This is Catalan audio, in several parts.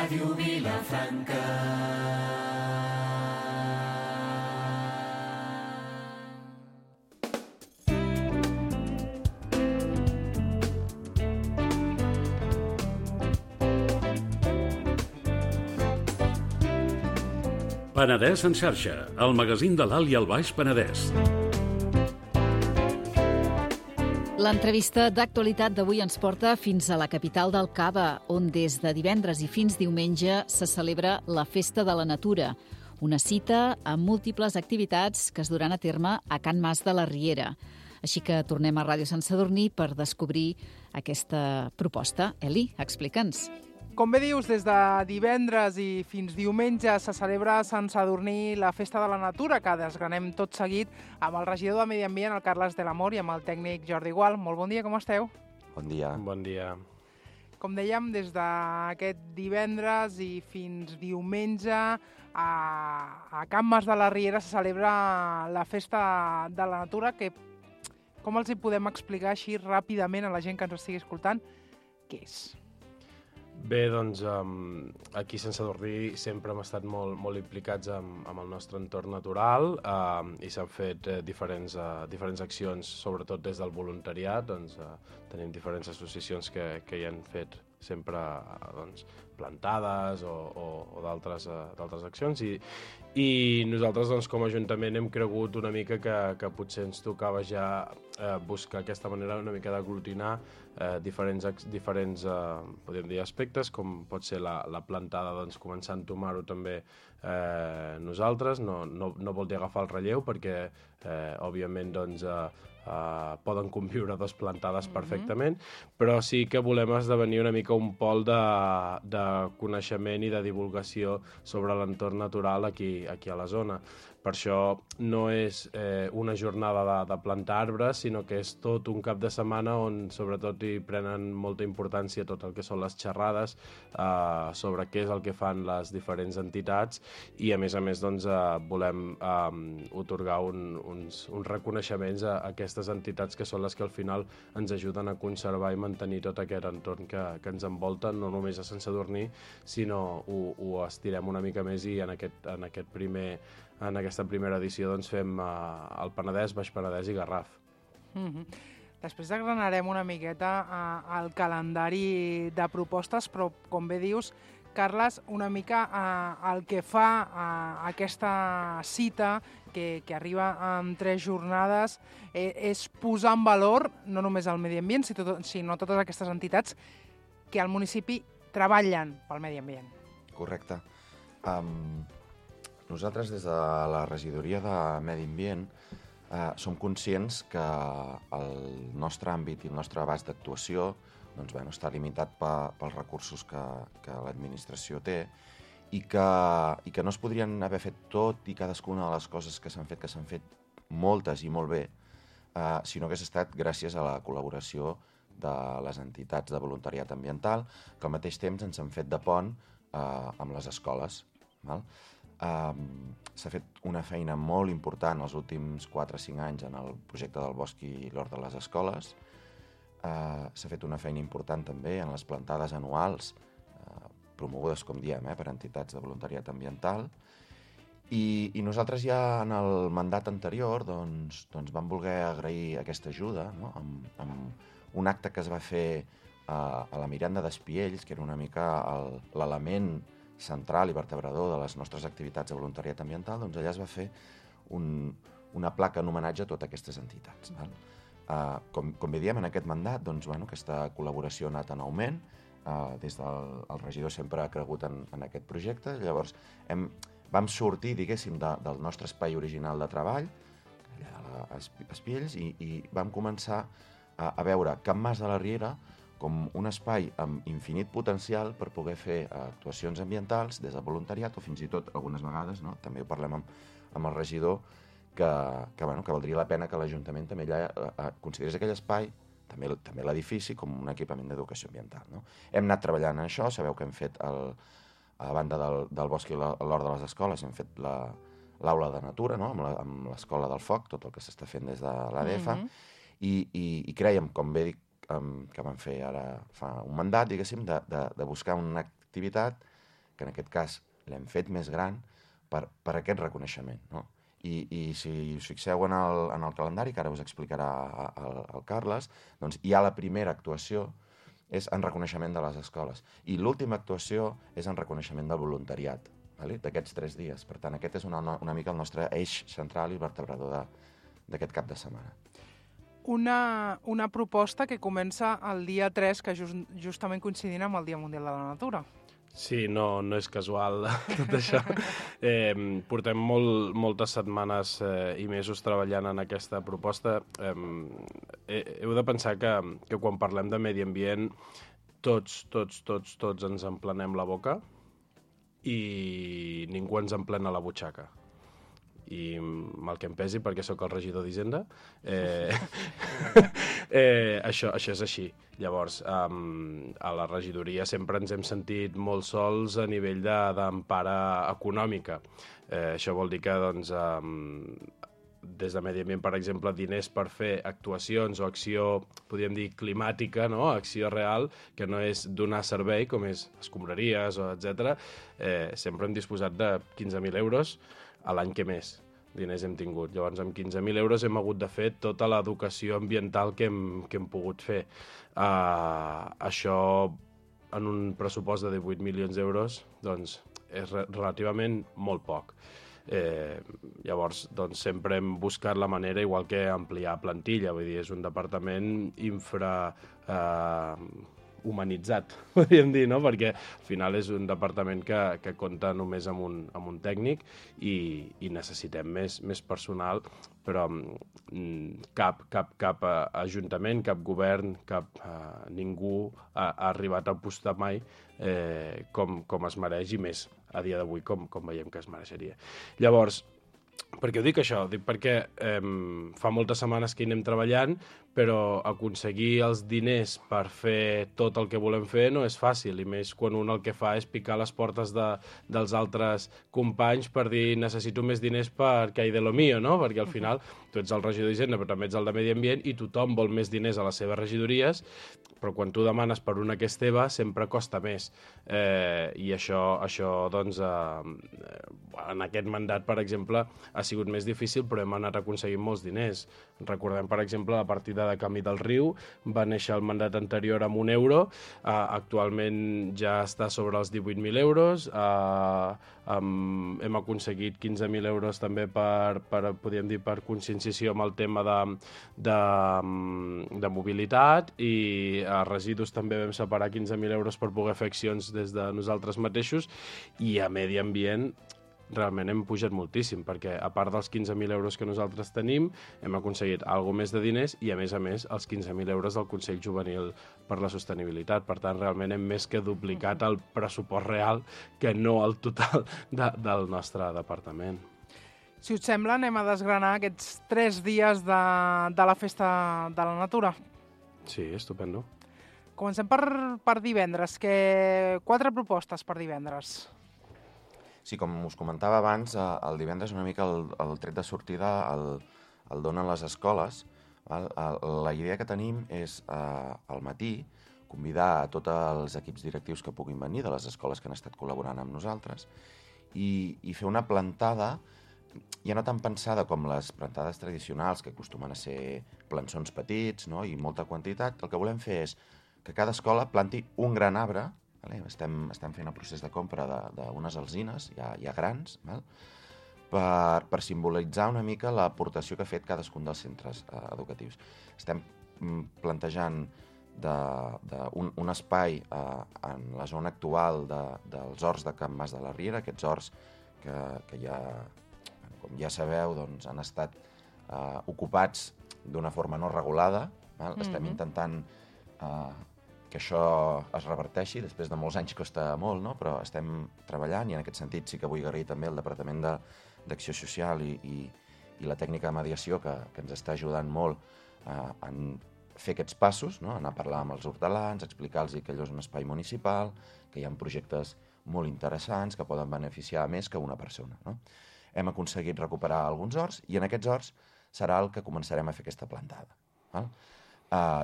Ràdio Vilafranca. Penedès en xarxa, el magazín de l'Alt i el Baix Penedès. L'entrevista d'actualitat d'avui ens porta fins a la capital del Cava, on des de divendres i fins diumenge se celebra la Festa de la Natura, una cita amb múltiples activitats que es duran a terme a Can Mas de la Riera. Així que tornem a Ràdio Sant Sadurní per descobrir aquesta proposta. Eli, explica'ns. Com bé dius, des de divendres i fins diumenge se celebra a Sant Sadurní la Festa de la Natura, que desgranem tot seguit amb el regidor de Medi Ambient, el Carles de l'Amor, i amb el tècnic Jordi Gual. Molt bon dia, com esteu? Bon dia. Bon dia. Com dèiem, des d'aquest divendres i fins diumenge a Can Mas de la Riera se celebra la Festa de la Natura, que com els hi podem explicar així ràpidament a la gent que ens estigui escoltant? Què és? Bé, doncs, aquí a Sant Sadurní sempre hem estat molt implicats amb el nostre entorn natural i s'han fet diferents accions, sobretot des del voluntariat. Doncs, tenim diferents associacions que hi han fet sempre plantades o d'altres accions i nosaltres doncs, com a Ajuntament hem cregut una mica que potser ens tocava ja buscar aquesta manera una mica d'aglutinar diferents podríem dir, aspectes, com pot ser la plantada, doncs, començar a entomar-ho també nosaltres. No vol dir agafar el relleu perquè, òbviament, doncs, poden conviure dos plantades perfectament, però sí que volem esdevenir una mica un pol de coneixement i de divulgació sobre l'entorn natural aquí a la zona. Per això no és una jornada de plantar arbres, sinó que és tot un cap de setmana on sobretot hi prenen molta importància tot el que són les xerrades sobre què és el que fan les diferents entitats i a més doncs, volem otorgar uns reconeixements a aquestes entitats que són les que al final ens ajuden a conservar i mantenir tot aquest entorn que ens envolta, no només a Sant Sadurní, sinó ho estirem una mica més i en aquesta primera edició doncs, fem el Penedès, Baix Penedès i Garraf. Després desgranarem una miqueta el calendari de propostes, però com bé dius, Carles, una mica el que fa aquesta cita que arriba en 3 jornades és posar en valor no només el medi ambient, sinó totes aquestes entitats que al municipi treballen pel medi ambient. Correcte. Nosaltres, des de la regidoria de Medi Ambient, som conscients que el nostre àmbit i el nostre abast d'actuació doncs, està limitat pels recursos que l'administració té i que no es podrien haver fet tot i cadascuna de les coses que s'han fet moltes i molt bé, si no hagués estat gràcies a la col·laboració de les entitats de voluntariat ambiental, que al mateix temps ens han fet de pont amb les escoles. S'ha fet una feina molt important els últims 4 o 5 anys en el projecte del bosc i l'hort de les escoles. S'ha fet una feina important també en les plantades anuals, promogudes, com diem, per entitats de voluntariat ambiental. I nosaltres ja en el mandat anterior doncs, vam voler agrair aquesta ajuda, no? amb un acte que es va fer a la Miranda d'Espiells, que era una mica l'element central i vertebrador de les nostres activitats de voluntariat ambiental. Doncs allà es va fer una placa en homenatge a totes aquestes entitats. Com bé diem, en aquest mandat, doncs, aquesta col·laboració ha anat en augment. Des del regidor sempre ha cregut en aquest projecte. Llavors, vam sortir, diguéssim, del nostre espai original de treball, allà a Espiells, i vam començar a veure Can Mas de la Riera com un espai amb infinit potencial per poder fer actuacions ambientals des del voluntariat o fins i tot algunes vegades, no? També ho parlem amb el regidor, que valdria la pena que l'Ajuntament també considerés aquell espai, també l'edifici, com un equipament d'educació ambiental. No? Hem anat treballant en això, sabeu que hem fet a banda del bosc i l'hort de les escoles, hem fet l'aula de natura, no? amb l'escola del foc, tot el que s'està fent des de l'ADF, i crèiem, com bé dic, que vam fer ara fa un mandat, diguéssim, de buscar una activitat que en aquest cas l'hem fet més gran per aquest reconeixement, no? I si us fixeu en el calendari, que ara us explicarà el Carles, doncs hi ha la primera actuació, és en reconeixement de les escoles. I l'última actuació és en reconeixement del voluntariat, d'aquests 3 dies. Per tant, aquest és una mica el nostre eix central i vertebrador d'aquest cap de setmana. Una proposta que comença el dia 3, que justament coincidint amb el Dia Mundial de la Natura. Sí, no és casual tot això. Portem moltes setmanes i mesos treballant en aquesta proposta. Heu de pensar que quan parlem de medi ambient tots ens emplenem la boca i ningú ens emplena la butxaca. I mal que em pesi perquè sóc el regidor d'Hisenda, això és així. Llavors, a la regidoria sempre ens hem sentit molt sols a nivell d'empara econòmica. Això vol dir que, doncs, des de Medi Ambient, per exemple, diners per fer actuacions o acció, podríem dir, climàtica, no? Acció real, que no és donar servei, com és escombraries, etc. Sempre hem disposat de 15.000 euros a l'any que més diners hem tingut. Llavors, amb 15.000 euros hem hagut de fer tota l'educació ambiental que hem pogut fer. Això, en un pressupost de 18 milions d'euros, doncs, és relativament molt poc. Llavors, doncs, sempre hem buscat la manera, igual que ampliar plantilla, vull dir, és un departament humanitzat, podríem dir, no? Perquè al final és un departament que compta només amb un tècnic i necessitem més personal, però cap ajuntament, cap govern, ningú ha arribat a apostar mai com es mereix i més a dia d'avui com veiem que es mereixeria. Llavors, per què ho dic això? Dic perquè fa moltes setmanes que hi anem treballant, però aconseguir els diners per fer tot el que volem fer no és fàcil, i més quan un el que fa és picar les portes dels altres companys per dir necessito més diners perquè hi de lo mío, no? Perquè al final tu ets el regidor d'Hisenda, però també ets el de Medi Ambient, i tothom vol més diners a les seves regidories, però quan tu demanes per una que és teva sempre costa més. I això doncs, en aquest mandat, per exemple, ha sigut més difícil, però hem anat aconseguint molts diners. Recordem, per exemple, la partida de Camí del Riu, va néixer el mandat anterior amb €1, actualment ja està sobre els 18.000 euros, hem aconseguit 15.000 euros també podríem dir, per conscienciació amb el tema de mobilitat, i a residus també vam separar 15.000 euros per poder fer accions des de nosaltres mateixos, i a Medi Ambient realment hem pujat moltíssim, perquè a part dels 15.000 euros que nosaltres tenim, hem aconseguit alguna més de diners i, a més, els 15.000 euros del Consell Juvenil per la Sostenibilitat. Per tant, realment hem més que duplicat el pressupost real que no el total del nostre departament. Si us sembla, anem a desgranar aquests 3 dies de la Festa de la Natura. Sí, estupendo. Comencem per divendres. 4 propostes per divendres. Sí, com us comentava abans, el divendres una mica el tret de sortida el donen les escoles. La idea que tenim és, al matí, convidar a tots els equips directius que puguin venir de les escoles que han estat col·laborant amb nosaltres i fer una plantada, ja no tan pensada com les plantades tradicionals, que acostumen a ser plançons petits, no? I molta quantitat. El que volem fer és que cada escola planti un gran arbre. Estem fent el procés de compra d'unes alzines, ja grans, per simbolitzar una mica l'aportació que ha fet cadascun dels centres educatius. Estem plantejant un espai en la zona actual dels horts de Can Mas de la Riera, aquests horts que ja, com ja sabeu, doncs, han estat ocupats d'una forma no regulada. Estem intentant que això es reverteixi, després de molts anys costa molt, no? Però estem treballant, i en aquest sentit sí que vull agrair també el Departament d'Acció Social i la tècnica de mediació que ens està ajudant molt en fer aquests passos, no? Anar a parlar amb els hortelans, explicar-los que allò és un espai municipal, que hi ha projectes molt interessants que poden beneficiar més que una persona, no? Hem aconseguit recuperar alguns horts, i en aquests horts serà el que començarem a fer aquesta plantada.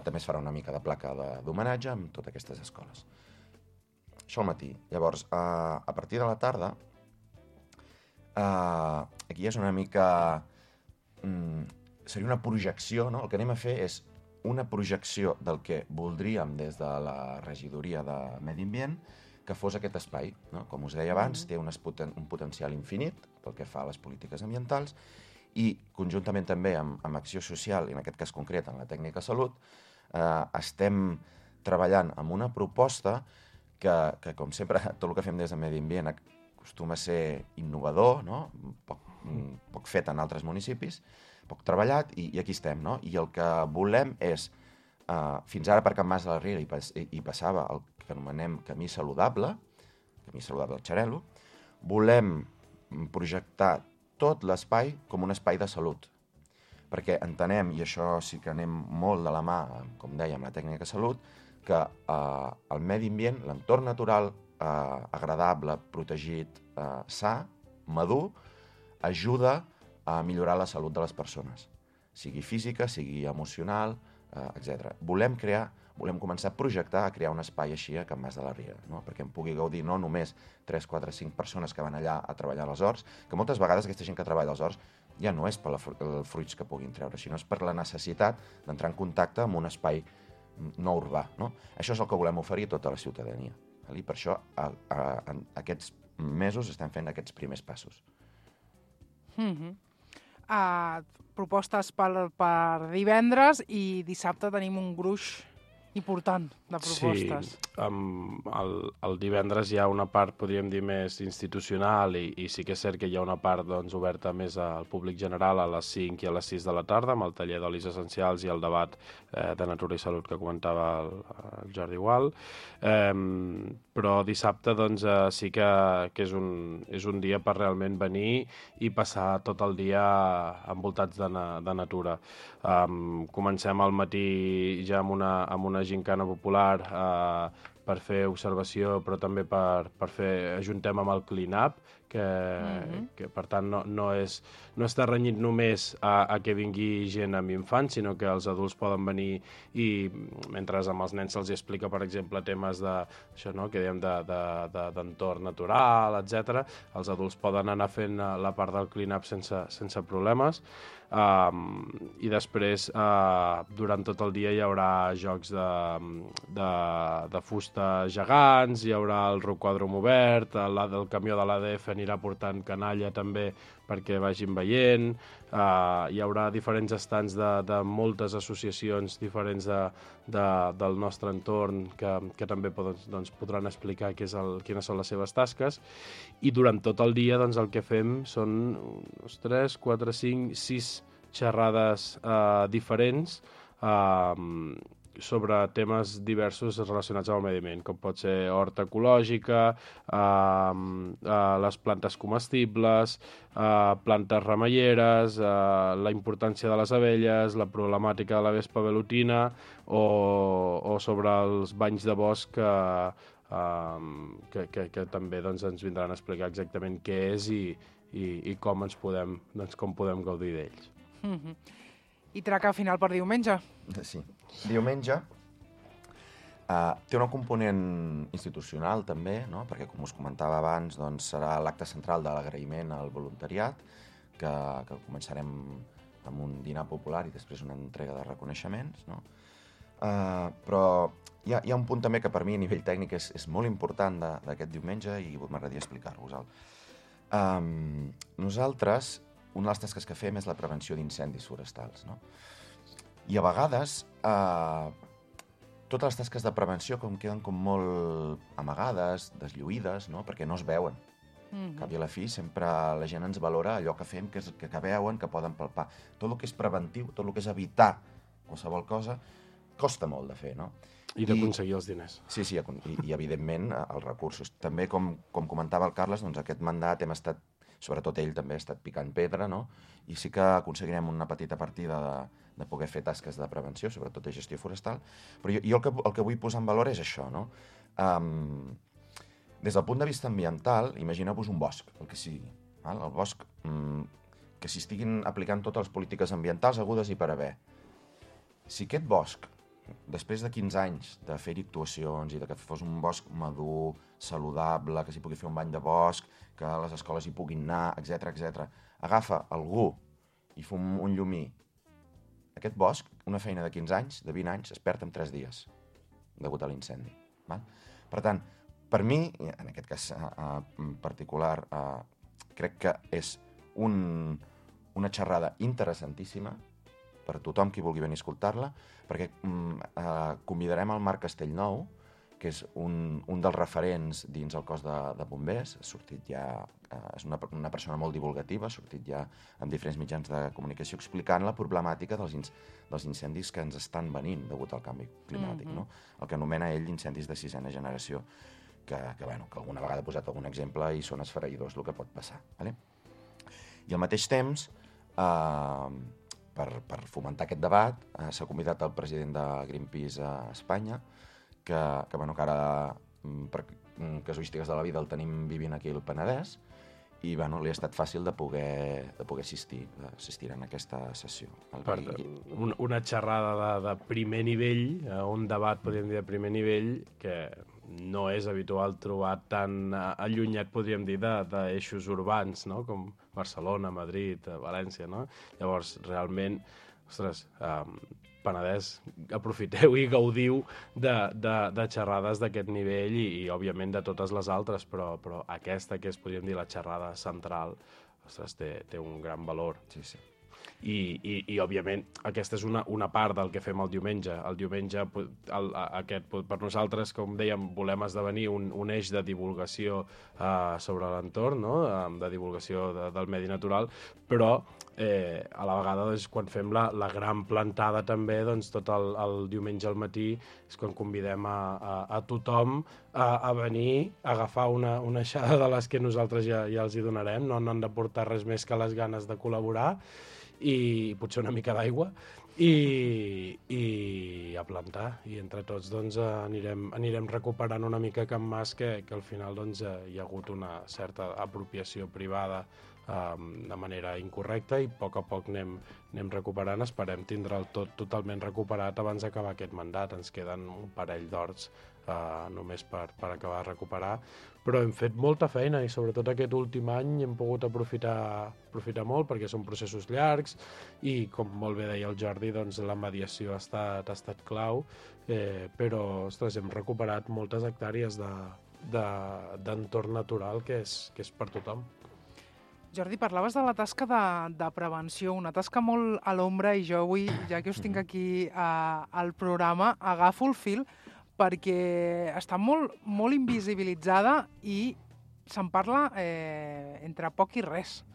També es farà una mica de placa d'homenatge amb totes aquestes escoles. Això al matí. Llavors, a partir de la tarda, aquí és una mica... seria una projecció, no? El que anem a fer és una projecció del que voldríem des de la regidoria de Medi Ambient que fos aquest espai, no? Com us deia abans, té un potencial infinit pel que fa a les polítiques ambientals i, conjuntament també amb acció social, i en aquest cas concret en la tècnica salut, estem treballant amb una proposta que com sempre, tot el que fem des de Medi Ambient acostuma a ser innovador, no? Poc fet en altres municipis, poc treballat, i aquí estem, no? I el que volem és, fins ara per Can Mas de la Riera hi passava el que anomenem camí saludable al Xarel·lo, volem projectar tot l'espai com un espai de salut, perquè entenem, i això sí que anem molt de la mà, com dèiem, la tècnica salut, que el medi ambient, l'entorn natural agradable, protegit, sa, madur, ajuda a millorar la salut de les persones, sigui física, sigui emocional, etc. Volem començar a projectar, a crear un espai així a Can Mas de la Riera, no? Perquè en pugui gaudir no només 3, 4, 5 persones que van allà a treballar als horts, que moltes vegades aquesta gent que treballa als horts ja no és per els fruits que puguin treure, sinó és per la necessitat d'entrar en contacte amb un espai no urbà, no? Això és el que volem oferir a tota la ciutadania. I per això en aquests mesos estem fent aquests primers passos. Propostes per divendres i dissabte tenim un gruix important de propostes. Sí, el divendres hi ha una part, podríem dir, més institucional i sí que és cert que hi ha una part doncs, oberta més al públic general a les 5 i a les 6 de la tarda amb el taller d'olis essencials i el debat de natura i salut que comentava el Jordi Gual. Però dissabte doncs, sí que és un dia per realment venir i passar tot el dia envoltats de natura. Comencem al matí ja amb una gincana popular per fer observació, però també per fer ajuntem amb el clean-up, que per tant no està renyit només a que vingui gent amb infants, sinó que els adults poden venir i mentre amb els nens se'ls explica, per exemple, temes d'això, no?, que dèiem d'entorn natural, etc. Els adults poden anar fent la part del clean-up sense problemes. I després durant tot el dia hi haurà jocs de fusta gegants, hi haurà el rocòdrom obert, el camió de l'ADF anirà portant canalla també perquè vagin veient, hi haurà diferents estants de moltes associacions diferents del nostre entorn que també podran explicar quines són les seves tasques, i durant tot el dia el que fem són 3, 4, 5, 6 xerrades diferents sobre temes diversos relacionats amb el medi ambient, com pot ser horta ecològica, les plantes comestibles, plantes remeieres, la importància de les abelles, la problemàtica de la vespa velutina o sobre els banys de bosc que també ens vindran a explicar exactament què és i com podem gaudir d'ells. I traca final per diumenge. Sí. Diumenge té un component institucional també, no? Perquè, com us comentava abans, serà l'acte central de l'agraïment al voluntariat, que començarem amb un dinar popular i després una entrega de reconeixements, no? Però hi ha un punt també que per mi a nivell tècnic és molt important d'aquest diumenge i m'agradaria explicar-vos-el. Nosaltres, una de les tasques que fem és la prevenció d'incendis forestals, no? I a vegades totes les tasques de prevenció queden com molt amagades, deslluïdes, no? Perquè no es veuen. Cap i a la fi sempre la gent ens valora allò que fem, que veuen, que poden palpar. Tot el que és preventiu, tot el que és evitar qualsevol cosa, costa molt de fer, no? I d'aconseguir els diners. Sí, i evidentment els recursos. També, com comentava el Carles, aquest mandat hem estat, sobretot ell també ha estat picant pedra, no? I sí que aconseguirem una petita partida de poder fer tasques de prevenció, sobretot de gestió forestal. Però jo el que vull posar en valor és això, no? Des del punt de vista ambiental, imagineu-vos un bosc, el que sigui. El bosc que s'hi estiguin aplicant totes les polítiques ambientals hagudes i per haver. Si aquest bosc després de 15 anys de fer-hi actuacions i de que fos un bosc madur, saludable, que s'hi pugui fer un bany de bosc, que les escoles hi puguin anar, etc. Agafa algú i fa un llumí. Aquest bosc, una feina de 15 anys, de 20 anys, es perd en 3 dies, degut a l'incendi. Per tant, per mi, en aquest cas particular, crec que és una xerrada interessantíssima per tothom qui vulgui venir a escoltar-la, perquè convidarem el Marc Castellnou, que és un dels referents dins el cos de bombers. Ha sortit ja, és una persona molt divulgativa, ha sortit ja en diferents mitjans de comunicació explicant la problemàtica dels incendis que ens estan venint degut al canvi climàtic, no? El que anomena ell incendis de 6ena generació, que alguna vegada ha posat algun exemple i són esfereïdors el que pot passar. I al mateix temps, per fomentar aquest debat, s'ha convidat el president de Greenpeace a Espanya, que ara, per casuístiques de la vida, el tenim vivint aquí al Penedès, i li ha estat fàcil de poder assistir en aquesta sessió. Una xerrada de primer nivell, un debat, podríem dir, de primer nivell, que no és habitual trobar tan allunyat, podríem dir, d'eixos urbans, no? Com Barcelona, Madrid, València, no? Llavors, realment, ostres, Penedès, aprofiteu i gaudiu de xerrades d'aquest nivell i òbviament, de totes les altres, però aquesta, que és, podríem dir, la xerrada central, ostres, té un gran valor. Sí. I òbviament, aquesta és una part del que fem el diumenge. El diumenge, per nosaltres, com dèiem, volem esdevenir un eix de divulgació sobre l'entorn, no? De divulgació del medi natural, però a la vegada, quan fem la gran plantada també, tot el diumenge al matí és quan convidem a tothom a venir, a agafar una aixada de les que nosaltres ja els hi donarem, no han de portar res més que les ganes de col·laborar, i potser una mica d'aigua, i a plantar. I entre tots anirem recuperant una mica Can Mas, que al final hi ha hagut una certa apropiació privada de manera incorrecta, i a poc anem recuperant. Esperem tindre'l tot totalment recuperat abans d'acabar aquest mandat. Ens queden un parell d'horts només per acabar de recuperar, però hem fet molta feina i sobretot aquest últim any hem pogut aprofitar molt, perquè són processos llargs i, com molt bé deia el Jordi, la mediació ha estat clau, però ostres, hem recuperat moltes hectàrees d'entorn natural que és per tothom. Jordi, parlaves de la tasca de prevenció, una tasca molt a l'ombra, i jo avui, ja que us tinc aquí al programa, agafo el fil perquè està molt invisibilitzada i se'n parla entre poc i res.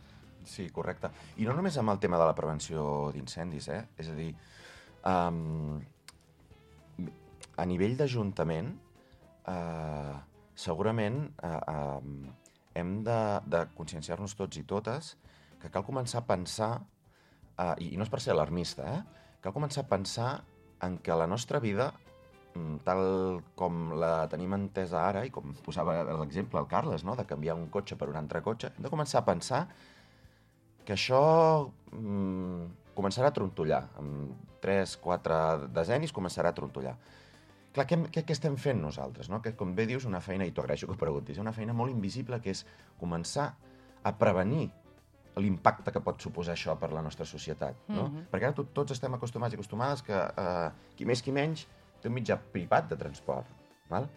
Sí, correcte. I no només amb el tema de la prevenció d'incendis, és a dir, a nivell d'Ajuntament, segurament hem de conscienciar-nos tots i totes que cal començar a pensar, i no és per ser alarmista, cal començar a pensar en que la nostra vida, tal com la tenim entesa ara, i com posava l'exemple el Carles, no? De canviar un cotxe per un altre cotxe, hem de començar a pensar que això començarà a trontollar. Amb 3-4 decennis començarà a trontollar. Clar, què estem fent nosaltres? No? Que, com bé dius, una feina, i t'ho agraeixo que ho preguntis, una feina molt invisible, que és començar a prevenir l'impacte que pot suposar això per la nostra societat. No? Perquè ara tots estem acostumats i acostumades que qui més qui menys té un mitjà privat de transport. Val?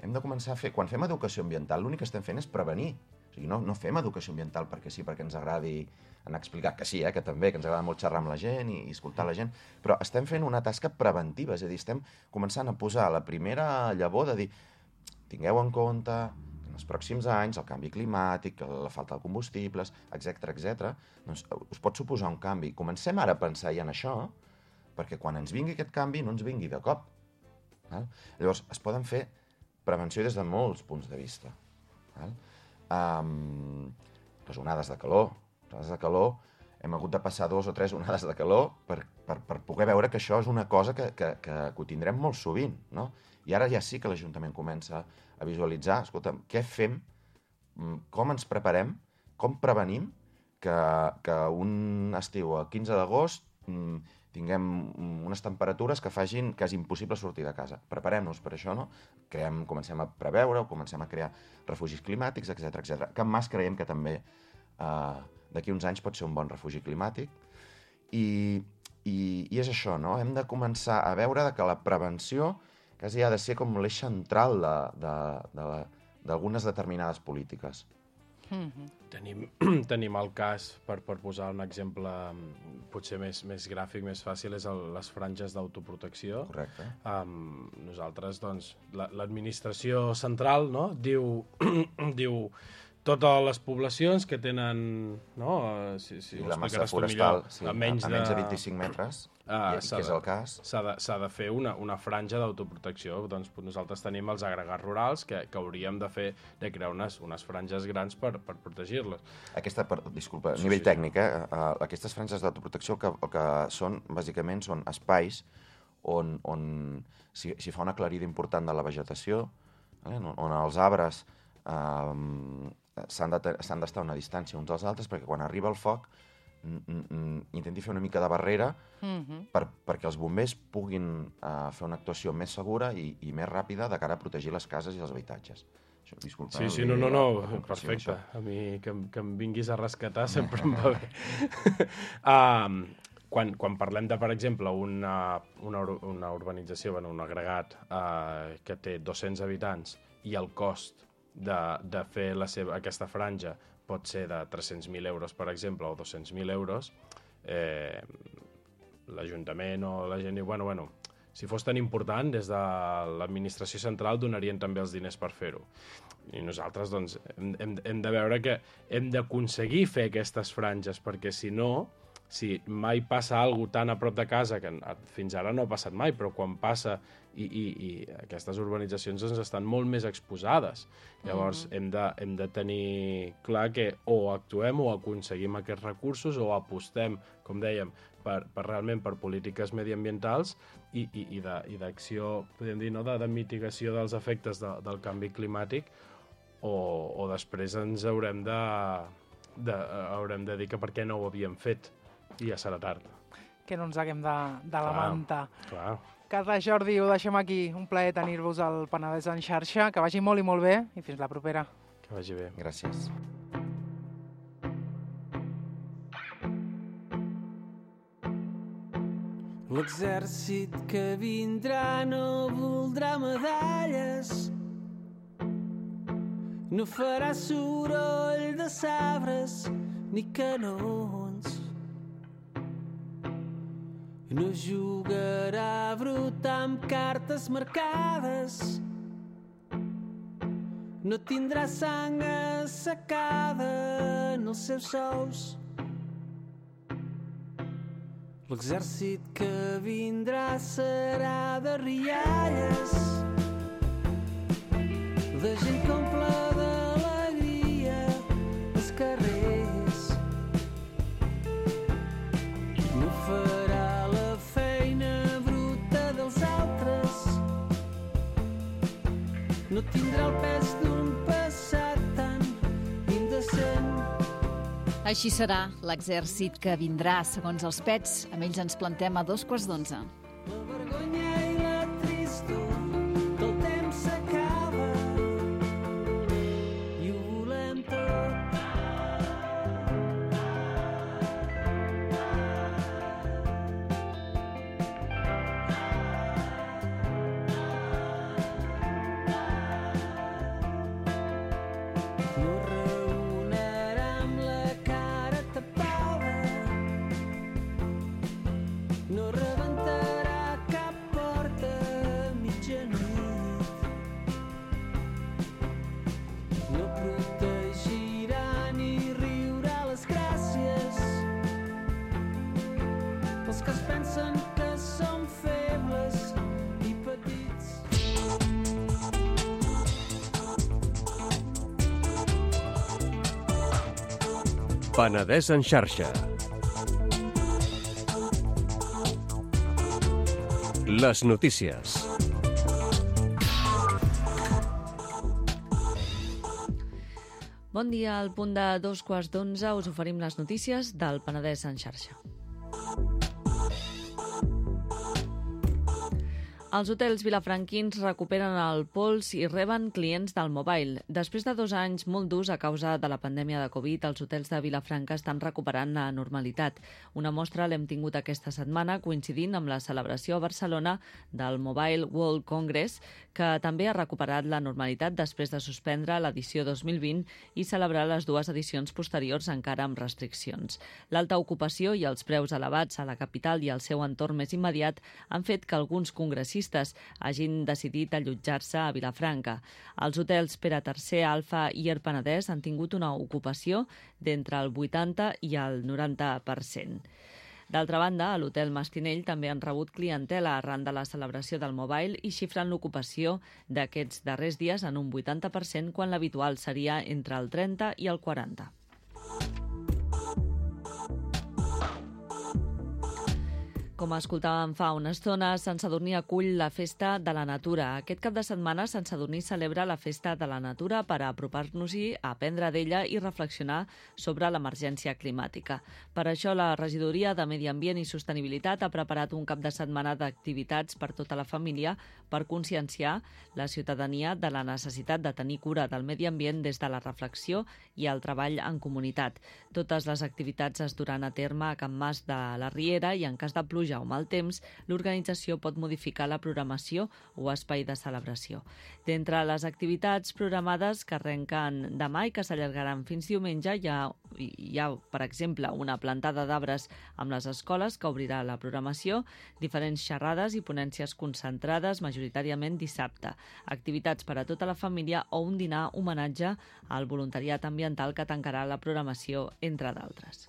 Hem de començar a fer... Quan fem educació ambiental, l'únic que estem fent és prevenir. O sigui, no fem educació ambiental perquè sí, perquè ens agradi anar a explicar, que sí, que també, que ens agrada molt xerrar amb la gent i escoltar la gent, però estem fent una tasca preventiva, és a dir, estem començant a posar la primera llavor de dir, tingueu en compte que en els pròxims anys el canvi climàtic, la falta de combustibles, etc, doncs us pot suposar un canvi. Comencem ara a pensar ja en això, perquè quan ens vingui aquest canvi no ens vingui de cop. Val? Llavors, es poden fer prevenció des de molts punts de vista. Val? Les onades de calor. Les onades de calor, hem hagut de passar 2 o 3 onades de calor per poder veure que això és una cosa que ho tindrem molt sovint. No? I ara ja sí que l'Ajuntament comença a visualitzar, escolta, què fem, com ens preparem, com prevenim que un estiu a 15 d'agost tinguem unes temperatures que facin que és impossible sortir de casa. Preparem-nos per això, no? Comencem a preveure, comencem a crear refugis climàtics, etc. Can Mas creiem que també d'aquí uns anys pot ser un bon refugi climàtic. I és això, no? Hem de començar a veure que la prevenció quasi ha de ser com l'eix central d'algunes determinades polítiques. Tenim el cas, per posar un exemple potser més gràfic, més fàcil, és les franges d'autoprotecció. Correcte. Nosaltres, doncs, l'administració central, no?, diu totes les poblacions que tenen, no? I la massa forestal, a menys de 25 metres, que és el cas. S'ha de fer una franja d'autoprotecció. Doncs nosaltres tenim els agregats rurals que hauríem de crear unes franges grans per protegir-les. Disculpa, a nivell tècnic, aquestes franges d'autoprotecció el que són, bàsicament, són espais on s'hi fa una aclarida important de la vegetació, on els arbres s'han d'estar a una distància uns dels altres perquè quan arriba el foc intenti fer una mica de barrera perquè els bombers puguin fer una actuació més segura i més ràpida de cara a protegir les cases i els habitatges. Disculpa. Sí, no, perfecte. A mi que em vinguis a rescatar sempre em va bé. Quan parlem de, per exemple, una urbanització, un agregat que té 200 habitants i el cost de fer aquesta franja pot ser de 300.000 euros, per exemple, o 200.000 euros, l'Ajuntament o la gent diu, bueno, si fos tan important, des de l'administració central donarien també els diners per fer-ho. I nosaltres, doncs, hem de veure que hem d'aconseguir fer aquestes franges, perquè si no, si mai passa alguna cosa tan a prop de casa, que fins ara no ha passat mai, però quan passa i aquestes urbanitzacions doncs, estan molt més exposades. Llavors hem de tenir clar que o actuem o aconseguim aquests recursos o apostem, com dèiem, realment per polítiques mediambientals i d'acció, podem dir, no? de mitigació dels efectes del canvi climàtic, o després ens haurem de dir que per què no ho havíem fet. I ja serà tard. Que no ens haguem de lamentar. Clar. Carles, Jordi, ho deixem aquí. Un plaer tenir-vos al Penedès en xarxa. Que vagi molt i molt bé i fins la propera. Que vagi bé. Gràcies. L'exèrcit que vindrà no voldrà medalles, no farà soroll de sabres ni canons, no jugarà brut amb cartes marcades, no tindrà sang assecada en els seus sous. L'exèrcit que vindrà serà de rialles, de gent que omple d'alegria els carrers. No farà la feina bruta dels altres, no tindrà el pes d'un passat tan indecent. Així serà l'exèrcit que vindrà, segons els Pets. Amb ells ens plantem a 11:15. La vergonya i la tristor del temps s'acaba i ho volem tot. No raonarà amb la cara tapada, no rebentarà cap porta a mitjanit, no protegirà ni riurà les gràcies pels que es pensen que són febles i petits. Penedès en xarxa. Les notícies. Bon dia, al punt de 11:02 us oferim les notícies del Penedès en xarxa. Els hotels vilafranquins recuperen el pols i reben clients del mobile. Després de 2 anys molt durs a causa de la pandèmia de Covid, els hotels de Vilafranca estan recuperant la normalitat. Una mostra l'hem tingut aquesta setmana coincidint amb la celebració a Barcelona del Mobile World Congress, que també ha recuperat la normalitat després de suspendre l'edició 2020 i celebrar les 2 edicions posteriors encara amb restriccions. L'alta ocupació i els preus elevats a la capital i al seu entorn més immediat han fet que alguns congressistes hagin decidit allotjar-se a Vilafranca. Els hotels Pere III, Alfa i Air Penedès han tingut una ocupació d'entre el 80 i el 90%. D'altra banda, a l'hotel Mastinell també han rebut clientela arran de la celebració del Mobile i xifren l'ocupació d'aquests darrers dies en un 80% quan l'habitual seria entre el 30 i el 40%. Com escoltàvem fa una estona, Sant Sadurní acull la Festa de la Natura. Aquest cap de setmana, Sant Sadurní celebra la Festa de la Natura per apropar-nos-hi, aprendre d'ella i reflexionar sobre l'emergència climàtica. Per això, la Regidoria de Medi Ambient i Sostenibilitat ha preparat un cap de setmana d'activitats per tota la família per conscienciar la ciutadania de la necessitat de tenir cura del medi ambient des de la reflexió i el treball en comunitat. Totes les activitats es duran a terme a Can Mas de la Riera i en cas de pluja o mal temps, l'organització pot modificar la programació o espai de celebració. D'entre les activitats programades que arrenquen demà i que s'allargaran fins diumenge, hi ha, per exemple, una plantada d'arbres amb les escoles que obrirà la programació, diferents xerrades i ponències concentrades, majoritàriament dissabte, activitats per a tota la família o un dinar homenatge al voluntariat ambiental que tancarà la programació, entre d'altres.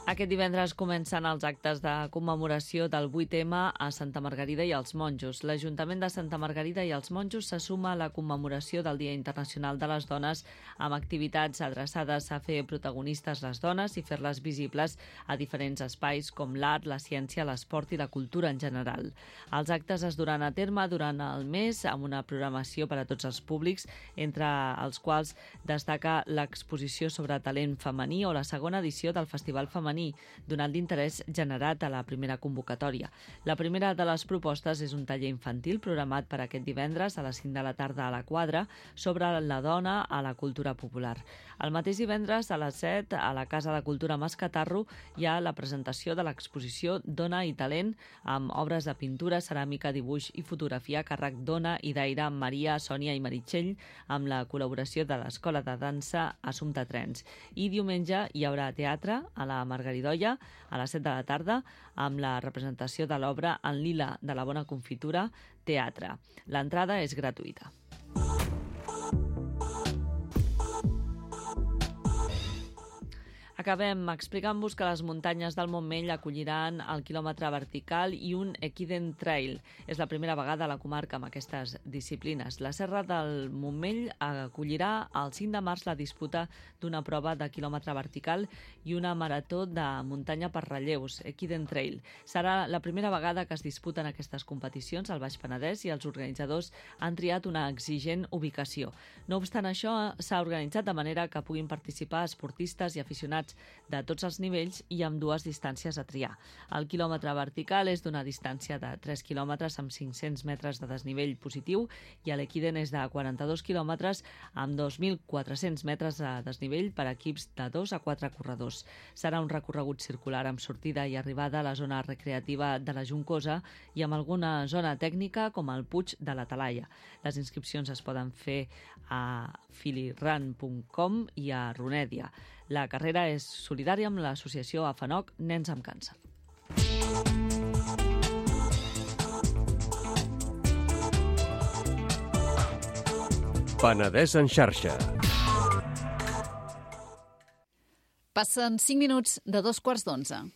Aquest divendres comencen els actes de commemoració del 8M a Santa Margarida i els Monjos. L'Ajuntament de Santa Margarida i els Monjos se suma a la commemoració del Dia Internacional de les Dones amb activitats adreçades a fer protagonistes les dones i fer-les visibles a diferents espais com l'art, la ciència, l'esport i la cultura en general. Els actes es duran a terme durant el mes amb una programació per a tots els públics, entre els quals destaca l'exposició sobre talent femení o la segona edició del Festival Femení, donant l'interès generat a la primera convocatòria. La primera de les propostes és un taller infantil programat per aquest divendres a les 5 de la tarda a la Quadra sobre la dona a la cultura popular. El mateix divendres a les 7 a la Casa de Cultura Mascatarro hi ha la presentació de l'exposició Dona i Talent amb obres de pintura, ceràmica, dibuix i fotografia a càrrec d'Ona i d'Aire, Maria, Sònia i Meritxell amb la col·laboració de l'Escola de Dansa Assumpta Trens. I diumenge hi haurà teatre a la Margaridoia a les 7 de la tarda amb la representació de l'obra En lila de la bona confitura, teatre. L'entrada és gratuïta. Acabem explicant-vos que les muntanyes del Montmell acolliran el quilòmetre vertical i un Equiden Trail. És la primera vegada a la comarca amb aquestes disciplines. La Serra del Montmell acollirà el 5 de març la disputa d'una prova de quilòmetre vertical i una marató de muntanya per relleus, Equiden Trail. Serà la primera vegada que es disputen aquestes competicions al Baix Penedès i els organitzadors han triat una exigent ubicació. No obstant això, s'ha organitzat de manera que puguin participar esportistes i aficionats de tots els nivells i amb 2 distàncies a triar. El quilòmetre vertical és d'una distància de 3 quilòmetres amb 500 metres de desnivell positiu i l'Equiden és de 42 quilòmetres amb 2.400 metres de desnivell per a equips de 2 a 4 corredors. Serà un recorregut circular amb sortida i arribada a la zona recreativa de la Juncosa i amb alguna zona tècnica com el Puig de la Talaia. Les inscripcions es poden fer a filirun.com i a Runèdia. La carrera és solidària amb l'associació AFANOC Nens amb Càncer. Penedès en xarxa. Passen 5 minuts de 2:15.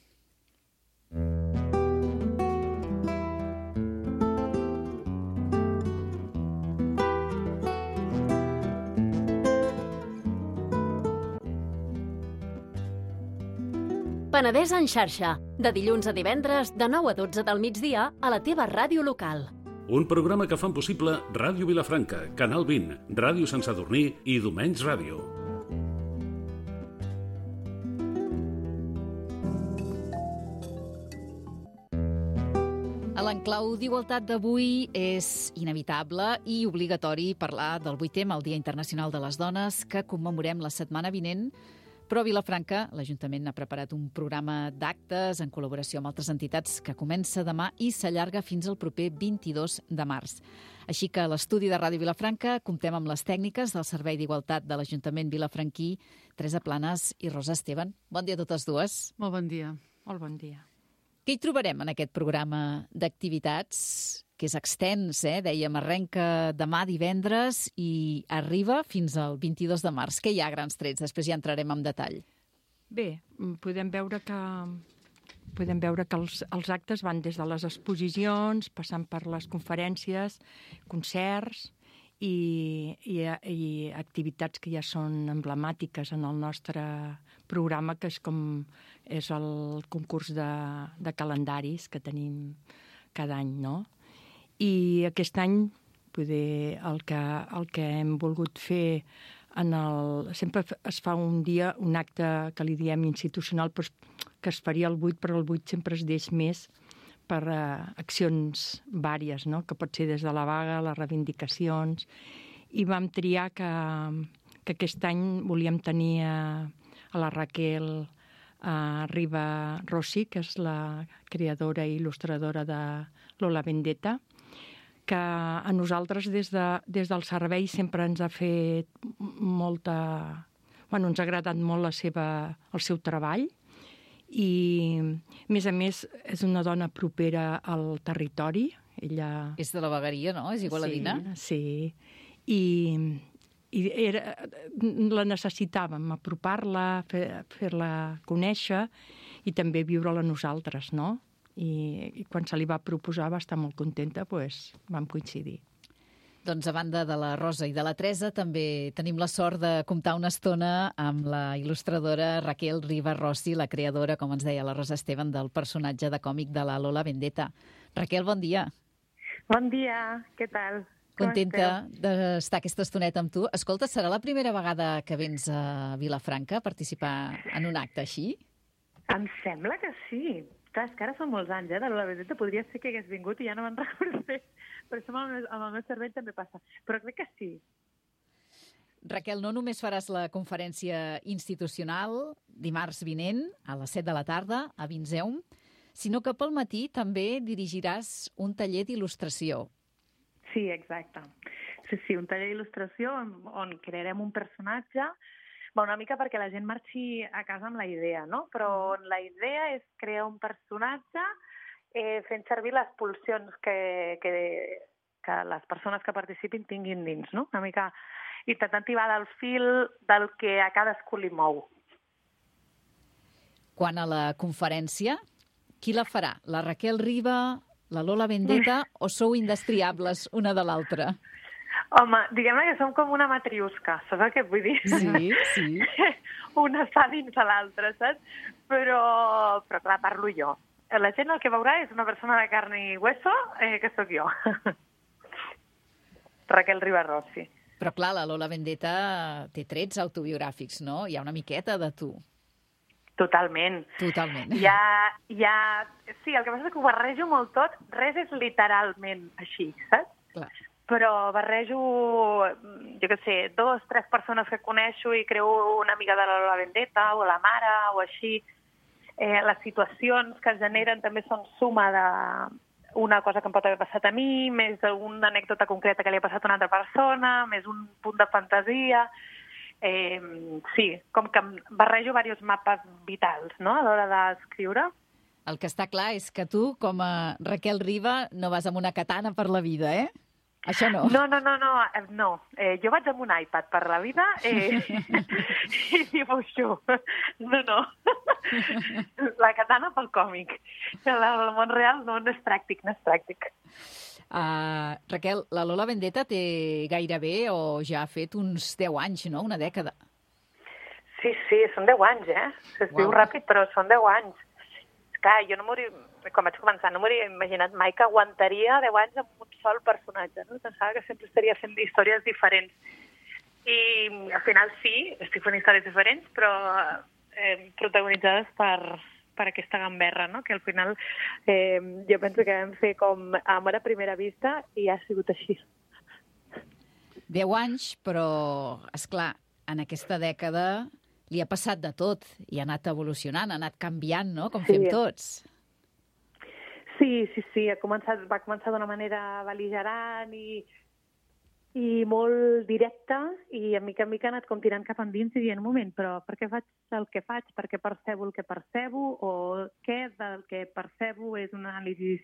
Penedès en xarxa, de dilluns a divendres, de 9 a 12 del migdia, a la teva ràdio local. Un programa que fan possible Ràdio Vilafranca, Canal 20, Ràdio Sant Sadurní i Domenys Ràdio. En clau d'igualtat d'avui és inevitable i obligatori parlar del 8M, el Dia Internacional de les Dones, que commemorem la setmana vinent. Però a Vilafranca, l'Ajuntament ha preparat un programa d'actes en col·laboració amb altres entitats que comença demà i s'allarga fins al proper 22 de març. Així que a l'estudi de Ràdio Vilafranca comptem amb les tècniques del Servei d'Igualtat de l'Ajuntament vilafranquí, Teresa Planes i Rosa Esteban. Bon dia a totes dues. Molt bon dia. Molt bon dia. Què hi trobarem en aquest programa d'activitats, que és extens, dèiem, arrenca demà divendres i arriba fins al 22 de març. Què hi ha a grans trets? Després ja entrarem en detall. Bé, podem veure que els actes van des de les exposicions, passant per les conferències, concerts i activitats que ja són emblemàtiques en el nostre programa, que és el concurs de calendaris que tenim cada any, no? I aquest any poder el que hem volgut fer sempre es fa un dia, un acte que li diem institucional, però que es faria el 8, però el 8 sempre es deix més per accions vàries, no? Que pot ser des de la vaga, les reivindicacions. I vam triar que aquest any volíem tenir a la Raquel Riba Rossi, que és la creadora i il·lustradora de Lola Vendetta, que a nosaltres des del servei sempre ens ha fet molta... ens ha agradat molt el seu treball i, a més, és una dona propera al territori. Ella... És de la vegueria, no? És igualadina? Sí. I la necessitàvem, apropar-la, fer-la conèixer i també viure-la nosaltres, no? I quan se li va proposar va estar molt contenta, doncs vam coincidir. Doncs a banda de la Rosa i de la Teresa, també tenim la sort de comptar una estona amb la il·lustradora Raquel Riba Rossi, la creadora, com ens deia la Rosa Esteban, del personatge de còmic de la Lola Vendetta. Raquel, bon dia. Bon dia, què tal? Contenta d'estar aquesta estoneta amb tu. Escolta, serà la primera vegada que vens a Vilafranca a participar en un acte així? Em sembla que sí. Clar, és que ara són molts anys, de la Vendetta. Podria ser que hagués vingut i ja no me'n recordo més. Però això amb el meu cervell també passa. Però crec que sí. Raquel, no només faràs la conferència institucional dimarts vinent a les 7 de la tarda a Vinseum, sinó que pel matí també dirigiràs un taller d'il·lustració. Sí, exacte. Sí, un taller d'il·lustració on crearem un personatge, una mica perquè la gent marxi a casa amb la idea, no? Però la idea és crear un personatge fent servir les pulsions que les persones que participin tinguin dins, no? Una mica intentant tibar del fil del que a cadascú li mou. Quant a la conferència, qui la farà? La Raquel Riba, la Lola Vendetta o sou indestriables una de l'altra? Home, diguem-ne que som com una matriusca, saps el que vull dir? Sí. Una està dins de l'altra, saps? Però clar, parlo jo. La gent el que veurà és una persona de carn i hueso, que sóc jo. Raquel Riba Rossi. Però clar, la Lola Vendetta té trets autobiogràfics, no? Hi ha una miqueta de tu. Totalment. Sí, el que passa és que ho barrejo molt tot. Res és literalment així, saps? Clar. Però barrejo, jo què sé, 2, 3 persones que coneixo i creo una amiga de la Lola Vendetta o la mare o així. Les situacions que es generen també són suma d'una cosa que em pot haver passat a mi, més una anècdota concreta que li ha passat a una altra persona, més un punt de fantasia. Sí, com que barrejo diversos mapes vitals, no?, a l'hora d'escriure. El que està clar és que tu, com a Raquel Riba, no vas amb una katana per la vida, Això no. No. Jo vaig amb un iPad per la vida i dibuixo. No. La katana pel còmic. El món real no és pràctic, Raquel, la Lola Vendetta té gairebé o ja ha fet uns 10 anys, no? Una dècada. Sí, són 10 anys, Es diu ràpid, però són 10 anys. Clar, jo quan vaig començar, no m'hauria imaginat mai que aguantaria 10 anys amb un sol personatge, no? Pensava que sempre estaria fent històries diferents. I al final sí, estic fent històries diferents, però protagonitzades per per aquesta gamberra, no? Que al final jo penso que vam fer com amor a primera vista i ha sigut així. 10 anys, però, és clar, en aquesta dècada li ha passat de tot i ha anat evolucionant, ha anat canviant, no?, com fem tots. Sí, va començar d'una manera bel·ligerant i molt directa, i a mica en mica ha anat com tirant cap endins i dient, un moment, però per què faig el que faig? Per què percebo el que percebo? O què del que percebo és una anàlisi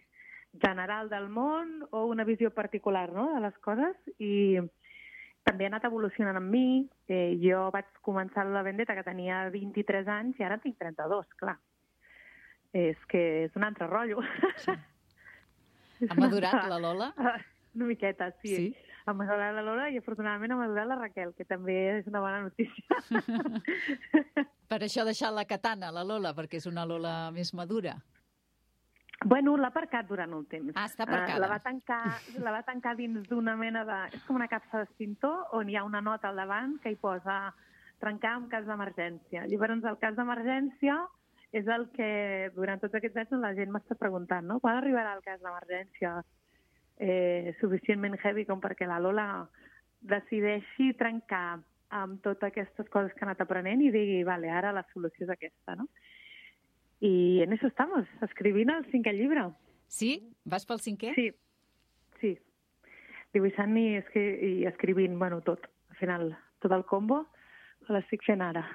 general del món o una visió particular, no?, de les coses? I també ha anat evolucionant amb mi. Jo vaig començar la Vendetta que tenia 23 anys i ara tinc 32, clar. És que és un altre rotllo. Sí. Ha madurat la Lola? Una miqueta, sí. Ha madurat la Lola i afortunadament ha madurat la Raquel, que també és una bona notícia. Per això ha deixat la katana, la Lola, perquè és una Lola més madura. Bueno, l'ha aparcat durant un temps. Ah, està aparcada. La va tancar dins d'una mena de... És com una capsa d'extintor on hi ha una nota al davant que hi posa trencar en cas d'emergència. Llavors, el cas d'emergència és el que durant tots aquests anys la gent m'està preguntant, no? Quan arribarà el cas d'emergència suficientment heavy com perquè la Lola decideixi trencar amb totes aquestes coses que ha anat aprenent i digui, vale, ara la solució és aquesta, no? I en eso estamos, escrivint el 5è llibre. Sí? Vas pel 5è? Sí. Dibuixant i escrivint, bueno, tot. Al final, tot el combo l'estic fent ara.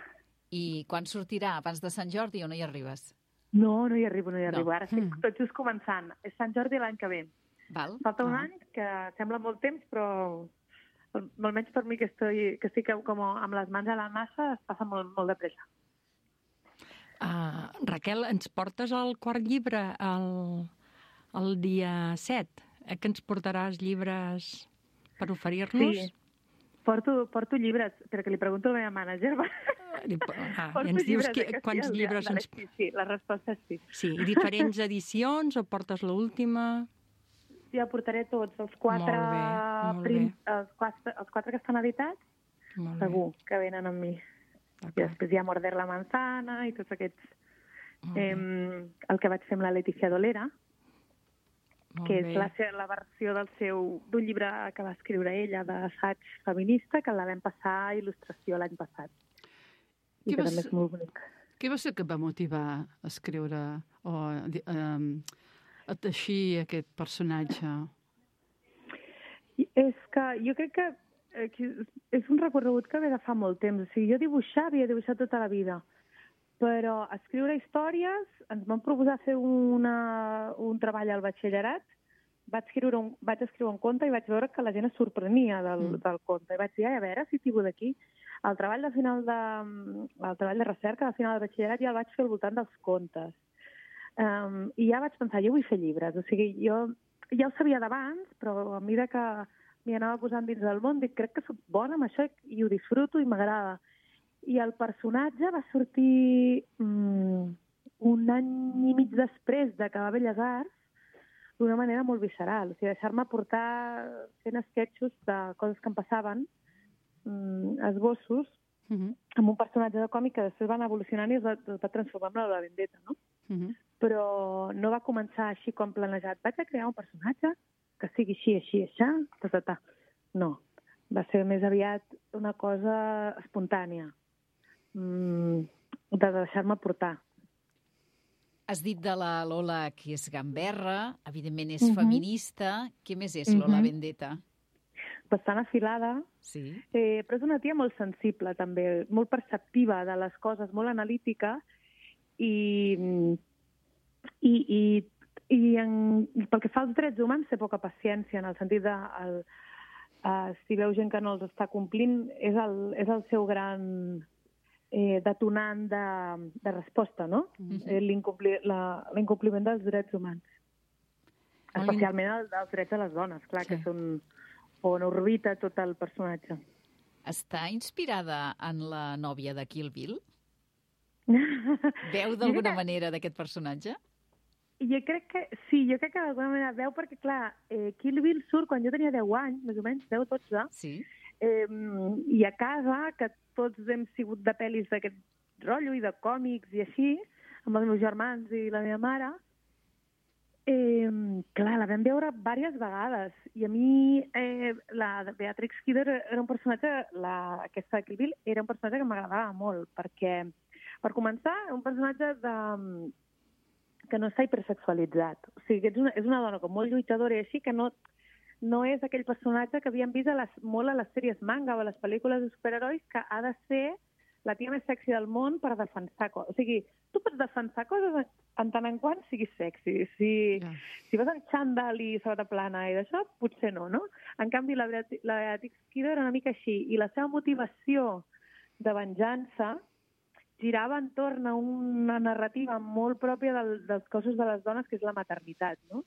I quan sortirà? Abans de Sant Jordi o no hi arribes? No hi arribo. Ara estic tot just començant. És Sant Jordi l'any que ve. Val. Falta un any, que sembla molt temps, però almenys per mi que estic com amb les mans a la massa es passa molt de pressa. Raquel, ens portes el quart llibre el dia 7? Que ens portaràs llibres per oferir-nos? Sí, porto llibres, però que li pregunto a la meva mànager. I ens dius quants llibres ens... Sí, la resposta és sí. Sí, i diferents edicions o portes l'última? Ja portaré tots, els quatre que estan editats, segur que venen amb mi. I després hi ha Morder la manzana i tots aquests... el que vaig fer amb la Leticia Dolera, que és la versió d'un llibre que va escriure ella d'assaig feminista, que la vam passar a il·lustració l'any passat. I que també és molt bonic. Què va ser que va motivar a escriure o a teixir aquest personatge? És que jo crec que és un recorregut que ve de fa molt temps. O sigui, jo havia dibuixat tota la vida, però escriure històries, ens vam proposar fer un treball al batxillerat, vaig escriure un conte i vaig veure que la gent es sorprenia del conte. I vaig dir, a veure si tiro d'aquí. El treball de recerca de final del batxillerat ja el vaig fer al voltant dels contes. I ja vaig pensar, jo vull fer llibres. O sigui, jo ja ho sabia d'abans, però a mesura que m'hi anava posant dins del món, dic, crec que soc bona amb això i ho disfruto i m'agrada. I el personatge va sortir un any i mig després d'acabar Belles Arts d'una manera molt visceral. O sigui, deixar-me portar fent esquetxos de coses que em passaven, esbossos, amb un personatge de còmic que després van evolucionant i es va transformar en la Vendetta, no? Però no va començar així com planejat. Vaig a crear un personatge que sigui així, No, va ser més aviat una cosa espontània, de deixar-me portar. Has dit de la Lola que és gamberra, evidentment és feminista. Què més és Lola Vendetta? Bastant afilada, sí. Però és una tia molt sensible també, molt perceptiva de les coses, molt analítica i pel que fa als drets humans té poca paciència, en el sentit de si veu gent que no els està complint és el seu gran detonant de resposta, no? L'incompliment dels drets humans. Especialment els drets de les dones, clar, que són on orbita tot el personatge. Està inspirada en la nòvia de Kill Bill? Veu d'alguna manera d'aquest personatge? Jo crec que sí, d'alguna manera veu, perquè, clar, Kill Bill surt quan jo tenia 10 anys, més o menys, 10 o 12, sí. I a casa, que tots hem sigut de pel·lis d'aquest rotllo i de còmics i així, amb els meus germans i la meva mare. Clar, la vam veure diverses vegades i a mi la Beatrix Kidder era un personatge, aquesta de Kill Bill, era un personatge que m'agradava molt perquè, per començar, un personatge que no està hipersexualitzat. O sigui, és una dona com molt lluitadora i així, que no és aquell personatge que havíem vist molt a les sèries manga o a les pel·lícules de superherois, que ha de ser la tia més sexy del món per defensar coses. O sigui, tu pots defensar coses en tant en quant siguis sexy. Si vas en xandall i sabata plana i d'això, potser no, no? En canvi, la Beatrix Kidder era una mica així, i la seva motivació de venjança girava entorn a una narrativa molt pròpia dels cossos de les dones, que és la maternitat, no?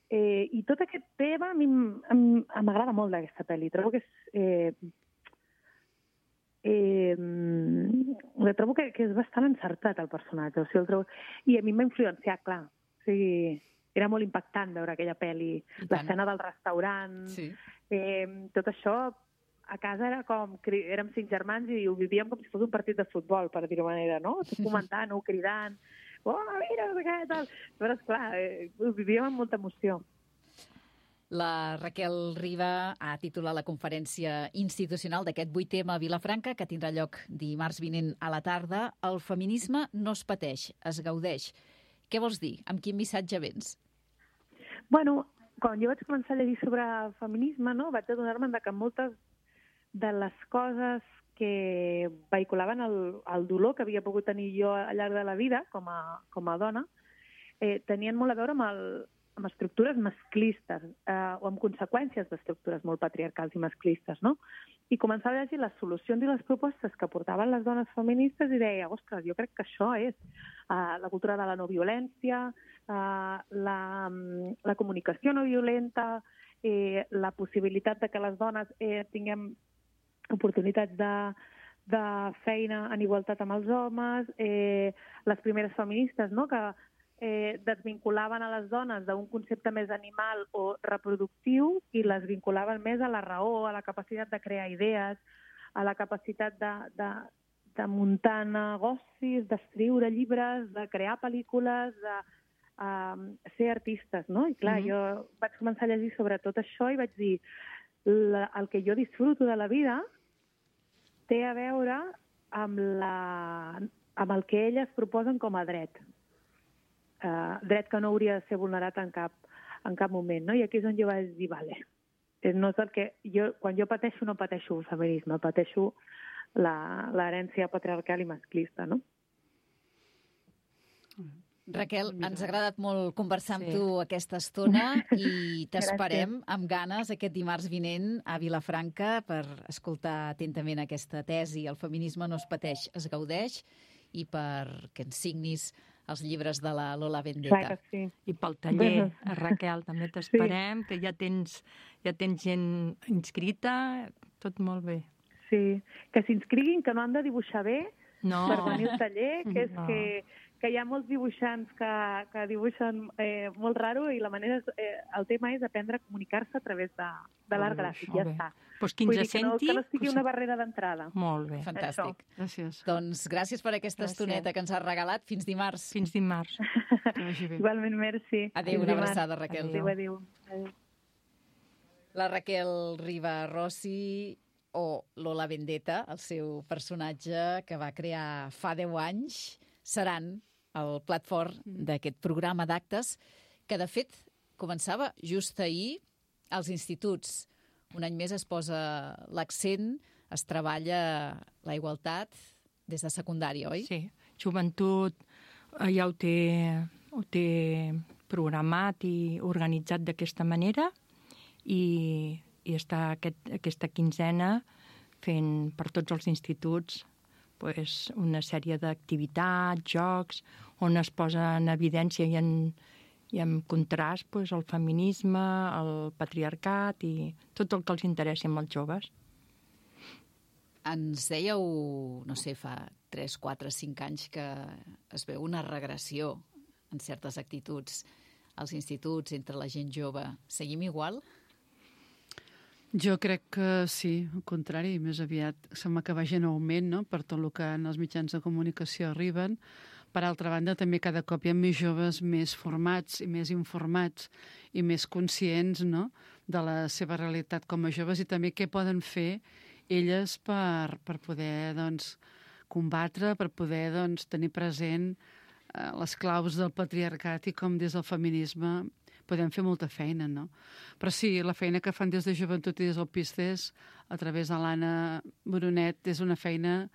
I tot aquest tema a mi m'agrada molt d'aquesta pel·li. Trobo que trobo que és bastant encertat el personatge. O sigui, i a mi m'ha influenciat, clar. O sigui, era molt impactant veure aquella pel·li. L'escena del restaurant, tot això. A casa era érem 5 germans i ho vivíem com si fos un partit de futbol, per dir-ho manera, no? Tot comentant-ho, cridant. Oh, mira, no sé què, tal. Però, esclar, ho vivíem amb molta emoció. La Raquel Riba ha titulat la conferència institucional d'aquest 8M a Vilafranca, que tindrà lloc dimarts vinent a la tarda. El feminisme no es pateix, es gaudeix. Què vols dir? Amb quin missatge vens? Bueno, quan jo vaig començar a llegir sobre feminisme, no, vaig adonar-me que moltes de les coses que vehiculaven el dolor que havia pogut tenir jo al llarg de la vida com a dona tenien molt a veure amb estructures masclistes o amb conseqüències d'estructures molt patriarcals i masclistes, no? I començava a llegir les solucions i les propostes que portaven les dones feministes i deia, ostres, jo crec que això és la cultura de la no violència, la comunicació no violenta, la possibilitat de que les dones tinguem oportunitats de feina en igualtat amb els homes, les primeres feministes, no?, que desvinculaven a les dones d'un concepte més animal o reproductiu i les vinculaven més a la raó, a la capacitat de crear idees, a la capacitat de muntar negocis, d'escriure llibres, de crear pel·lícules, de ser artistes, no? I clar, jo vaig començar a llegir sobre tot això i vaig dir el que jo disfruto de la vida té a veure amb el que elles proposen com a dret. Dret que no hauria de ser vulnerat en cap moment, no? I aquí és on jo vaig dir, vale, no és el que quan jo pateixo no pateixo el feminisme, pateixo l'herència patriarcal i masclista, no? Raquel, ens ha agradat molt conversar amb tu aquesta estona i t'esperem amb ganes aquest dimarts vinent a Vilafranca per escoltar atentament aquesta tesi. El feminisme no es pateix, es gaudeix, i perquè ens signis els llibres de la Lola Vendetta. Clar que sí. I pel taller, Raquel, també t'esperem, que ja tens gent inscrita, tot molt bé. Sí, que s'inscriguin, que no han de dibuixar bé per venir al taller, que és que hi ha molts dibuixants que dibuixen molt raro i el tema és aprendre a comunicar-se a través de l'art gràfic, ja està. Doncs qui ens senti... Que no sigui una barrera d'entrada. Molt bé. Fantàstic. Gràcies. Doncs gràcies per aquesta estoneta que ens has regalat. Fins dimarts. Fins dimarts. Igualment, merci. Adéu, una abraçada, Raquel. Adéu. La Raquel Riba Rossi, o Lola Vendetta, el seu personatge que va crear fa 10 anys, seran el plat fort d'aquest programa d'actes que, de fet, començava just ahir als instituts. Un any més es posa l'accent, es treballa la igualtat des de secundària, oi? Sí, Joventut ja ho té programat i organitzat d'aquesta manera i està aquesta quinzena fent per tots els instituts una sèrie d'activitats, jocs, on es posa en evidència i en contrast el feminisme, el patriarcat i tot el que els interessi amb els joves. Ens dèieu, no sé, fa 3, 4, 5 anys que es veu una regressió en certes actituds als instituts, entre la gent jove. Seguim igual? Jo crec que sí, al contrari, més aviat sembla que vagi en augment, no?, per tot el que en els mitjans de comunicació arriben, Per altra banda, també cada cop hi ha més joves més formats i més informats i més conscients, no?, de la seva realitat com a joves i també què poden fer elles per poder, doncs, combatre, per poder, doncs, tenir present les claus del patriarcat i com des del feminisme podem fer molta feina, no? Però sí, la feina que fan des de Joventut i des del PISCES a través de l'Anna Brunet és una feina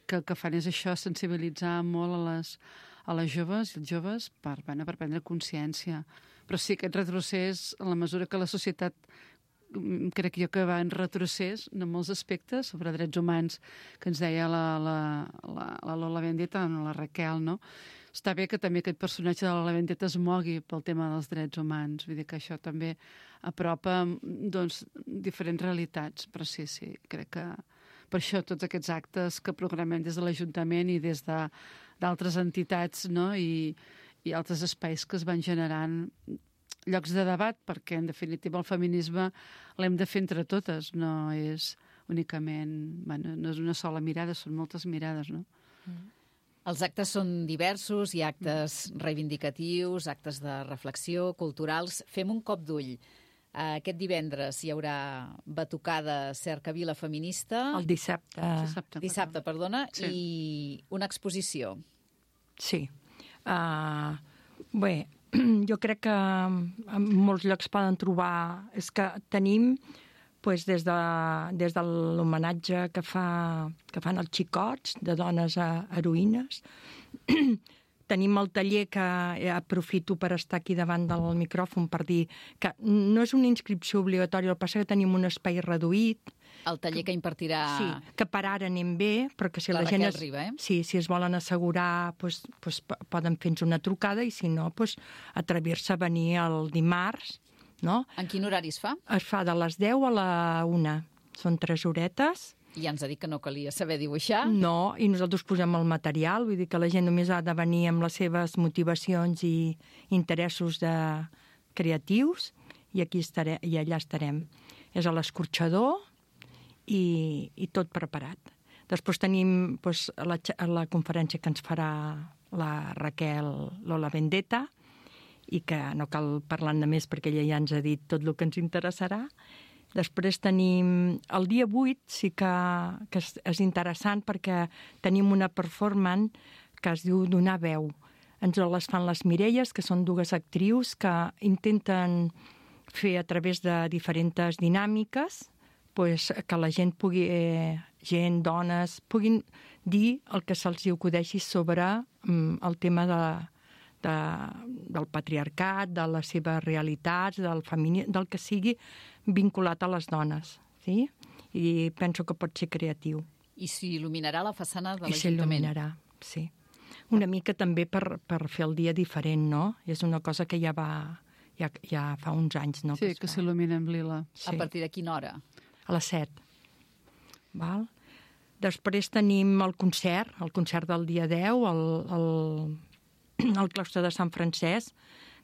que el que fan és això, sensibilitzar molt a les joves i els joves per prendre consciència. Però sí, aquest retrocés, en la mesura que la societat crec jo que va en retrocés en molts aspectes sobre drets humans que ens deia la Lola Vendetta, la Raquel, no? Està bé que també aquest personatge de la Vendetta es mogui pel tema dels drets humans, vull dir que això també apropa, doncs, diferents realitats, però sí, crec que per això tots aquests actes que programem des de l'Ajuntament i des d'altres entitats, no?, i altres espais que es van generant llocs de debat, perquè en definitiva el feminisme l'hem de fer entre totes, no és únicament, bueno, no és una sola mirada, són moltes mirades, no? Els actes són diversos, hi ha actes reivindicatius, actes de reflexió, culturals. Fem un cop d'ull. Aquest divendres hi haurà batucada Cercavila feminista. El dissabte. Dissabte, perdona, sí. I una exposició. Sí. Bé, jo crec que en molts llocs poden trobar... És que tenim, des de l'homenatge que fan els xicots de dones heroïnes, tenim el taller que aprofito per estar aquí davant del micròfon per dir que no és una inscripció obligatòria, el que passa que tenim un espai reduït. El taller que impartirà... Sí, que per ara anem bé, però que si la gent... Riba, Sí, si es volen assegurar, poden fer-nos una trucada i si no, atrevir-se a venir el dimarts, no? En quin horari es fa? Es fa de les 10 a la 1. Són 3 horetes. I ja ens ha dit que no calia saber dibuixar. No, i nosaltres posem el material, vull dir que la gent només ha de venir amb les seves motivacions i interessos creatius i allà estarem. És a l'escorxador i tot preparat. Després tenim la conferència que ens farà la Raquel Lola Vendetta i que no cal parlar-ne més perquè ella ja ens ha dit tot el que ens interessarà. Després tenim... El dia 8 sí que és interessant perquè tenim una performance que es diu Donar veu. Ens les fan les Mireies, que són 2 actrius que intenten fer a través de diferents dinàmiques que la gent dones, puguin dir el que se'ls acudeixi sobre el tema del patriarcat, de les seves realitats, del feminisme, del que sigui vinculat a les dones. Sí? I penso que pot ser creatiu. I s'il·luminarà la façana de l'Ajuntament. I s'il·luminarà, sí. Una mica també per fer el dia diferent, no? És una cosa que ja fa uns anys, no? Sí, que s'il·lumina amb lila. Sí. A partir de quina hora? A les 7. Val? Després tenim el concert del dia 10, al claustre de Sant Francesc,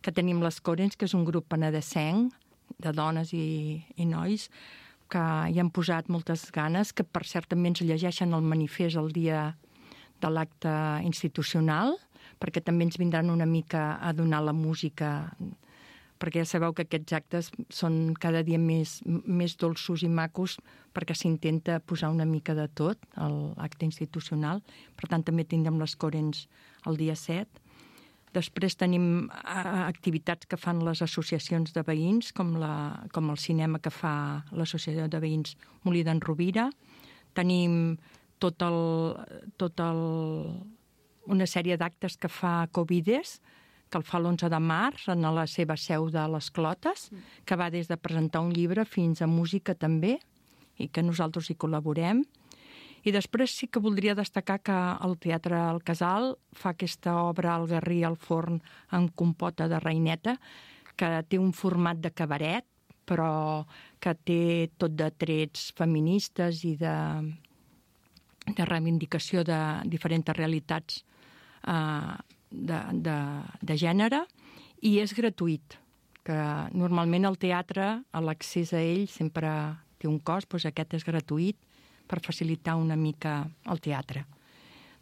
que tenim les Corens, que és un grup penedesenc de dones i nois, que hi han posat moltes ganes, que per cert també ens llegeixen el manifest el dia de l'acte institucional, perquè també ens vindran una mica a donar la música, perquè ja sabeu que aquests actes són cada dia més dolços i macos perquè s'intenta posar una mica de tot a l'acte institucional. Per tant, també tindrem les Corens el dia 7. Després tenim activitats que fan les associacions de veïns, com el cinema que fa l'associació de veïns Molí d'en Rovira. Tenim una sèrie d'actes que fa Covides, que el fa l'11 de març en la seva seu de les Clotes, que va des de presentar un llibre fins a música també, i que nosaltres hi col·laborem. I després sí que voldria destacar que el Teatre El Casal fa aquesta obra El Garrí al forn amb compota de reineta, que té un format de cabaret, però que té tot de trets feministes i de reivindicació de diferents realitats de gènere, i és gratuït, que normalment el teatre, l'accés a ell sempre té un cost, doncs aquest és gratuït per facilitar una mica el teatre.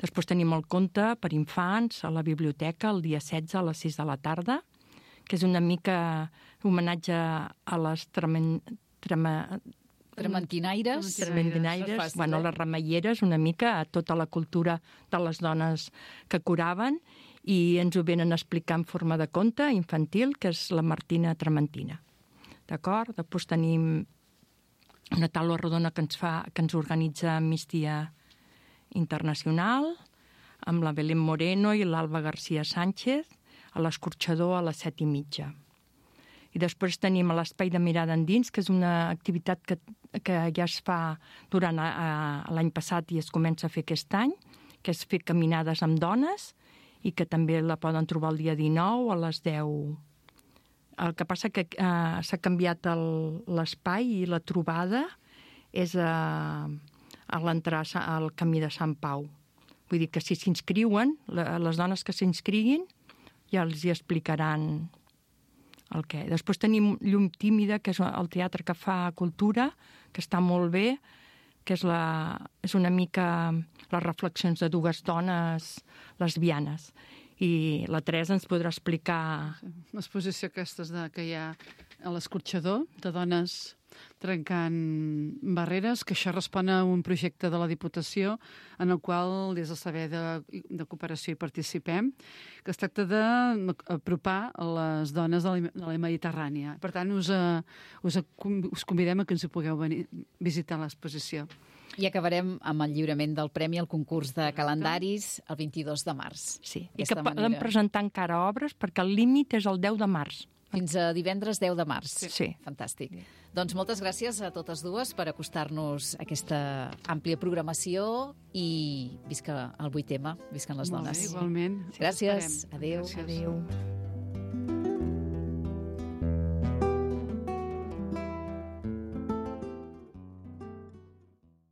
Després tenim el conte per infants a la biblioteca el dia 16 a les 6 de la tarda, que és una mica homenatge a les Trementinaires. Bueno, les remeieres, una mica a tota la cultura de les dones que curaven, i ens ho venen a explicar en forma de conte infantil, que és la Martina Trementina. D'acord? Després tenim una taula rodona que ens organitza Migdia Internacional, amb la Belén Moreno i l'Alba García Sánchez, a l'Escorxador a les 7:30. I després tenim l'Espai de Mirada Endins, que és una activitat que ja es fa durant l'any passat i es comença a fer aquest any, que és fer caminades amb dones, i que també la poden trobar el dia 19 a les 10. El que passa que s'ha canviat l'espai i la trobada és a l'entrar al Camí de Sant Pau. Vull dir que si s'inscriuen, les dones que s'inscriguin ja els hi explicaran el què. Després tenim Llum Tímida, que és el teatre que fa cultura, que està molt bé, que és una mica les reflexions de dues dones lesbianes. I la Teresa ens podrà explicar... L'exposició aquesta que hi ha a l'Escorxador, de dones trencant barreres, que això respon a un projecte de la Diputació en el qual des del Servei de Cooperació hi participem, que es tracta d'apropar les dones de la Mediterrània. Per tant, us convidem a que ens ho pugueu venir visitar l'exposició. I acabarem amb el lliurament del Premi al concurs de calendaris el 22 de març. Sí, i que poden presentar encara obres perquè el límit és el 10 de març. Fins a divendres 10 de març. Sí. Fantàstic. Doncs moltes gràcies a totes dues per acostar-nos a aquesta àmplia programació i visca el 8M, visquen les dones. Molt bé, igualment. Gràcies. Adéu. Adéu.